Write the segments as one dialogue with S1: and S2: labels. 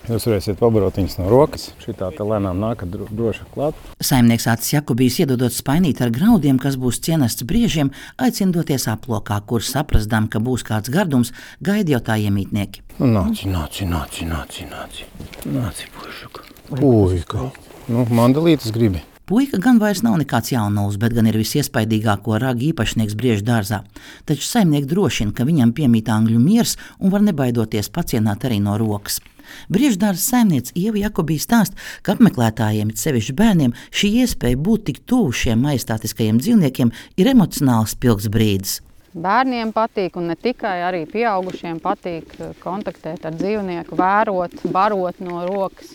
S1: Jūs varēsiet pabarot viņas no rokas. Šitā te lēnām nākat droši klāt.
S2: Saimnieks Acis Jakubijs, iedodot spainīt ar graudiem, kas būs cienests briežiem, aicina doties aplokā, kur saprastām, ka būs kāds gardums, gaida jau tā iemītnieki.
S1: Nāci, puika. Mandalītes gribi.
S2: Puika gan vairs nav nekāds jaunulis, bet gan ir visiespaidīgāko ragu īpašnieks Briežu dārzā. Taču saimnieki drošina, ka viņam piemīt angļu miers un var nebaidoties pacienāt arī no rokas. Briežu dārza saimniece Ieva Jakubija stāsta, ka apmeklētājiem, it sevišķi bērniem, šī iespēja būt tik tuvu šiem majestātiskajiem dzīvniekiem ir emocionāls spilgts brīdis.
S3: Bērniem patīk, un ne tikai, arī pieaugušiem patīk kontaktēt ar dzīvnieku, vērot, barot no rokas,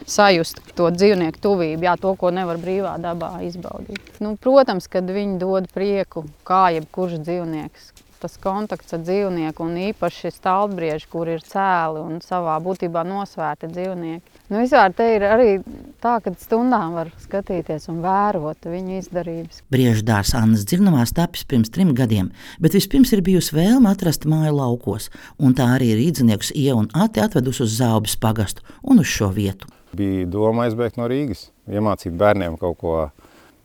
S3: sajust to dzīvnieku tuvību, to, ko nevar brīvā dabā izbaudīt. Protams, kad viņi dod prieku, kā jebkurš dzīvnieks. Tas kontakts ar dzīvnieku, un īpaši staltbrieži, kur ir cēli un savā būtībā nosvērti dzīvnieki. Vispār te ir arī tā, ka stundām var skatīties un vērot viņu izdarības.
S2: Briežu dārzs Annas dzirnavās tapis pirms 3 gadiem, bet vispirms ir bijusi vēlme atrast māju laukos, un tā arī ir īdzniekus Ieva un Ati atvedusi uz Zaubes pagastu un uz šo vietu.
S1: Bija doma aizbēgt no Rīgas, iemācīt bērniem kaut ko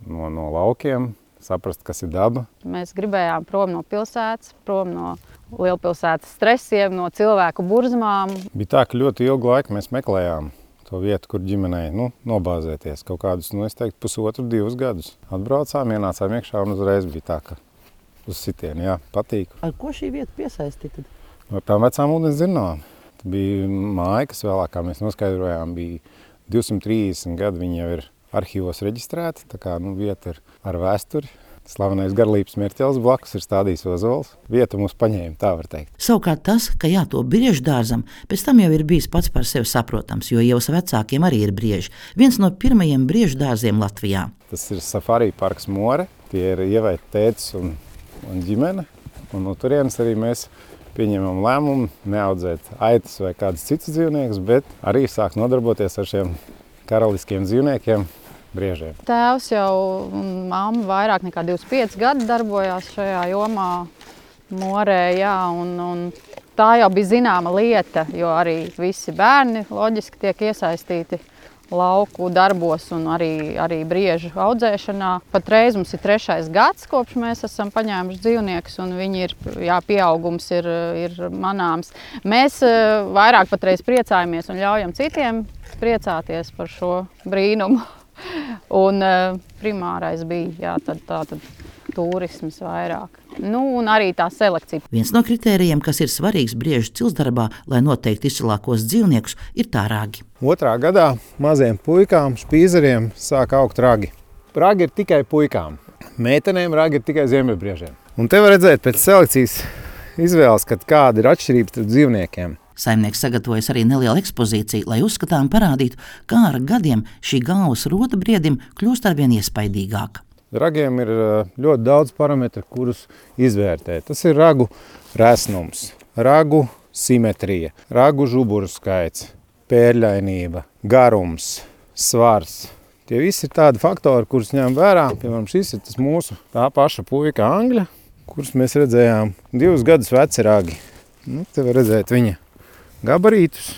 S1: no laukiem, saprast, kas ir daba.
S3: Mēs gribējām prom no pilsētas, prom no lielpilsētas stresiem, no cilvēku burzmām.
S1: Bija tā, ka ļoti ilgu laiku mēs meklējām to vietu, kur ģimenei nobāzēties. Kaut kādus, es teiktu, 1,5–2 gadus. Atbraucām, ienācām iekšā un uzreiz bija tā, ka uz sitienu, patīk.
S2: Ar ko šī vieta piesaistīja?
S1: Ar tām vecām ūdens dzirnavām. Tā bija māja, kas vēlāk, kā mēs noskaidrojām, bija 230 gadu, viņa jau ir arhīvos reģistrēta, tā kā vieta ir ar vēsturi. Slavenais Garlības Mērķelis blakus ir stādījis ozols. Vieta mūs paņēma, tā var teikt.
S2: Savukārt tas, ka jātop briežu dārzam, pēc tam jau ir bijis pats par sevi saprotams, jo Ievas vecākiem arī ir brieži. Viens no pirmajiem briežu dārziem Latvijā.
S1: Tas ir Safari parks More. Tie ir Ievai tētis un ģimene. Un no turienes arī mēs pieņemam lēmumu neaudzēt aitas vai kādus citus dzīvniekus, bet arī sāk nodarboties ar šiem karaliskiem dzīvniekiem. Briežiem.
S3: Tēvs jau un mamma vairāk nekā 25 gadi darbojās šajā jomā Morē, un tā jau bija zināma lieta, jo arī visi bērni loģiski tiek iesaistīti lauku darbos un arī briežu audzēšanā. Patreiz mums ir 3. gads, kopš mēs esam paņēmuši dzīvniekus, un viņi ir, pieaugums ir manāms. Mēs vairāk patreiz priecājamies un ļaujam citiem priecāties par šo brīnumu. Un primārais bija tātad turisms vairāk. Un arī tā selekcija.
S2: Viens no kritērijiem, kas ir svarīgs briežu cilsdarbā, lai noteikti izcilākos dzīvniekus, ir tā ragi.
S1: 2. gadā maziem puikām, špīzeriem sāk augt ragi. Ragi ir tikai puikām. Meitenēm ragi ir tikai ziemeļbriežiem. Un te var redzēt pēc selekcijas izvēles, kad kāda ir atšķirība starp dzīvniekiem.
S2: Saimnieks sagatavojas arī nelielu ekspozīciju, lai uzskatām parādītu, kā ar gadiem šī galvas rota briedim kļūst arvien iespaidīgāka.
S1: Ragiem ir ļoti daudz parametru, kurus izvērtēt. Tas ir ragu resnums, ragu simetrija, ragu žuburu skaits, pērļainība, garums, svars. Tie visi ir tādi faktori, kurus ņem vērā. Piemēram, šis ir tas mūsu tā paša puika Angļa, kurus mēs redzējām 2 gadus veci ragi. Te var redzēt viņa gabarītus.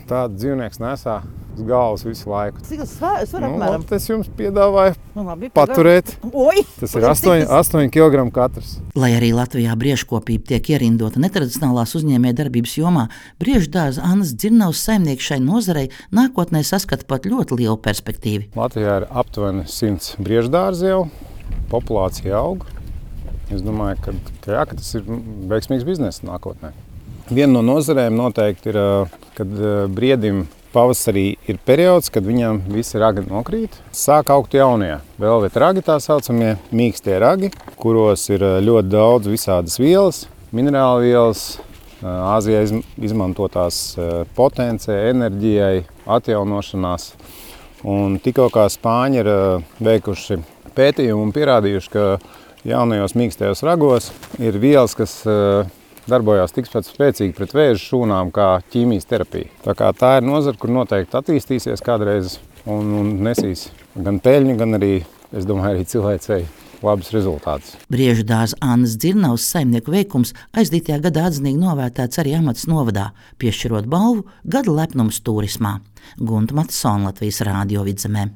S1: Tādu dzīvnieks nesā uz galvas visu laiku.
S2: Cik tas var apmēram?
S1: Tas jums piedāvāju paturēt. Tas ir 8 kg katrs.
S2: Lai arī Latvijā briežkopība tiek ierindota netradicionālās uzņēmējdarbības jomā, briežu dārza Annas dzirnavas saimnieki šai nozarei nākotnē saskata pat ļoti lielu perspektīvu.
S1: Latvijā ir aptuveni 100 briežu dārzi jau, populācija aug. Es domāju, ka tas ir veiksmīgs bizness nākotnē. Viena no nozarēm noteikti ir, kad briedim pavasarī ir periods, kad viņam visi ragi nokrīt. Sāk augt jaunie velvet ragi, tā saucamie mīkstie ragi, kuros ir ļoti daudz visādas vielas, minerāla vielas, Āzijā izmantotās potencē, enerģijai, atjaunošanās. Un tikko kā spāņi ir veikuši pētījumu un pierādījuši, ka jaunajos mīkstajos ragos ir vielas, kas darbojās tikpat spēcīgi pret vēža šūnām kā ķīmijas terapija. Tā ir nozara, kur noteikti attīstīsies kādreiz un nesīs gan peļņu, gan arī, es domāju, arī cilvēcei labus rezultātus.
S2: Briežu dārza Annas Dzirnavas saimnieku veikums aizdītajā gadā atzinīgi novērtēts arī Amatas novadā, piešķirot balvu Gada lepnums turismā. Gunta Matisona, Latvijas Rādio Vidzemē.